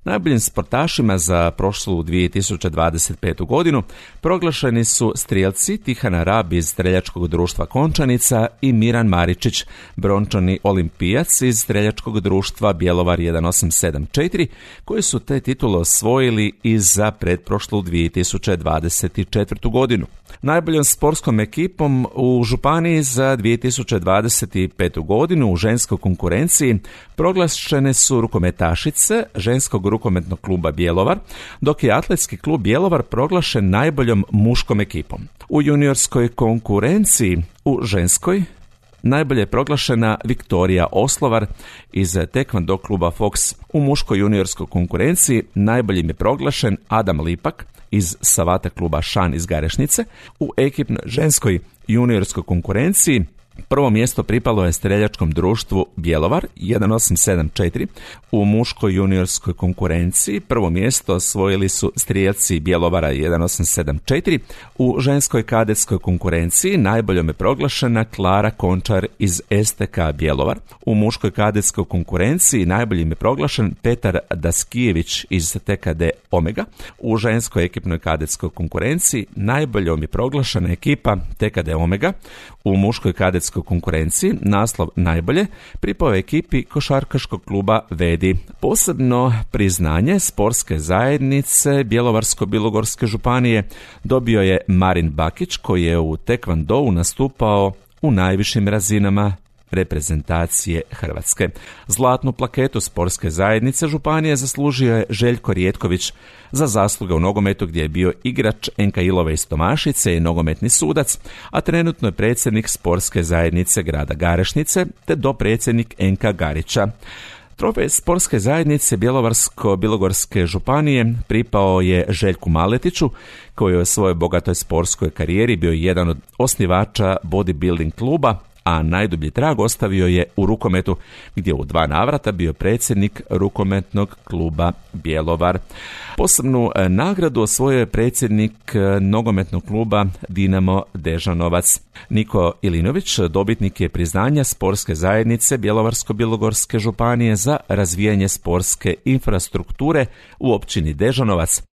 Najboljim sportašima za prošlu 2025. godinu proglašeni su strijelci Tihana Rab iz Streljačkog društva Končanica i Miran Maričić, brončani olimpijac iz Streljačkog društva Bjelovar 1874, koji su te titule osvojili i za pretprošlu 2024. godinu. Najboljom sportskom ekipom u županiji za 2025. godinu u ženskoj konkurenciji proglašene su rukometašice ženskog rukometnog kluba Bjelovar, dok je atletski klub Bjelovar proglašen najboljom muškom ekipom. U juniorskoj konkurenciji u ženskoj najbolje je proglašena Viktorija Oslovar iz Taekwondo kluba Fox. U muškoj juniorskoj konkurenciji najboljim je proglašen Adam Lipak iz Savata kluba Šan iz Garešnice. U ekipnoj ženskoj juniorskoj konkurenciji prvo mjesto pripalo je Streljačkom društvu Bjelovar 1874. U muškoj juniorskoj konkurenciji prvo mjesto osvojili su strijelci Bjelovara 1874. U ženskoj kadetskoj konkurenciji najboljom je proglašena Klara Končar iz STK Bjelovar. U muškoj kadetskoj konkurenciji najboljim je proglašen Petar Daskijević iz TKD Omega. U ženskoj ekipnoj kadetskoj konkurenciji najboljom je proglašena ekipa TKD Omega. U muškoj kadetskoj konkurenciji naslov najbolje pripao je ekipi košarkaškog kluba Vedi. Posebno priznanje sportske zajednice Bjelovarsko-bilogorske županije dobio je Marin Bakić, koji je u Taekwondou nastupao u najvišim razinama reprezentacije Hrvatske. Zlatnu plaketu sportske zajednice županije zaslužio je Željko Rijetković za zasluge u nogometu, gdje je bio igrač NK Ilove iz Tomašice i nogometni sudac, a trenutno je predsjednik sportske zajednice grada Garešnice te dopredsjednik NK Garića. Trofej sportske zajednice Bjelovarsko-bilogorske županije pripao je Željku Maletiću, koji je u svojoj bogatoj sportskoj karijeri bio jedan od osnivača bodybuilding kluba, a najdublji trag ostavio je u rukometu, gdje u 2 navrata bio predsjednik rukometnog kluba Bjelovar. Posebnu nagradu osvojio je predsjednik nogometnog kluba Dinamo Dežanovac. Niko Ilinović dobitnik je priznanja sportske zajednice Bjelovarsko-bilogorske županije za razvijanje sportske infrastrukture u općini Dežanovac.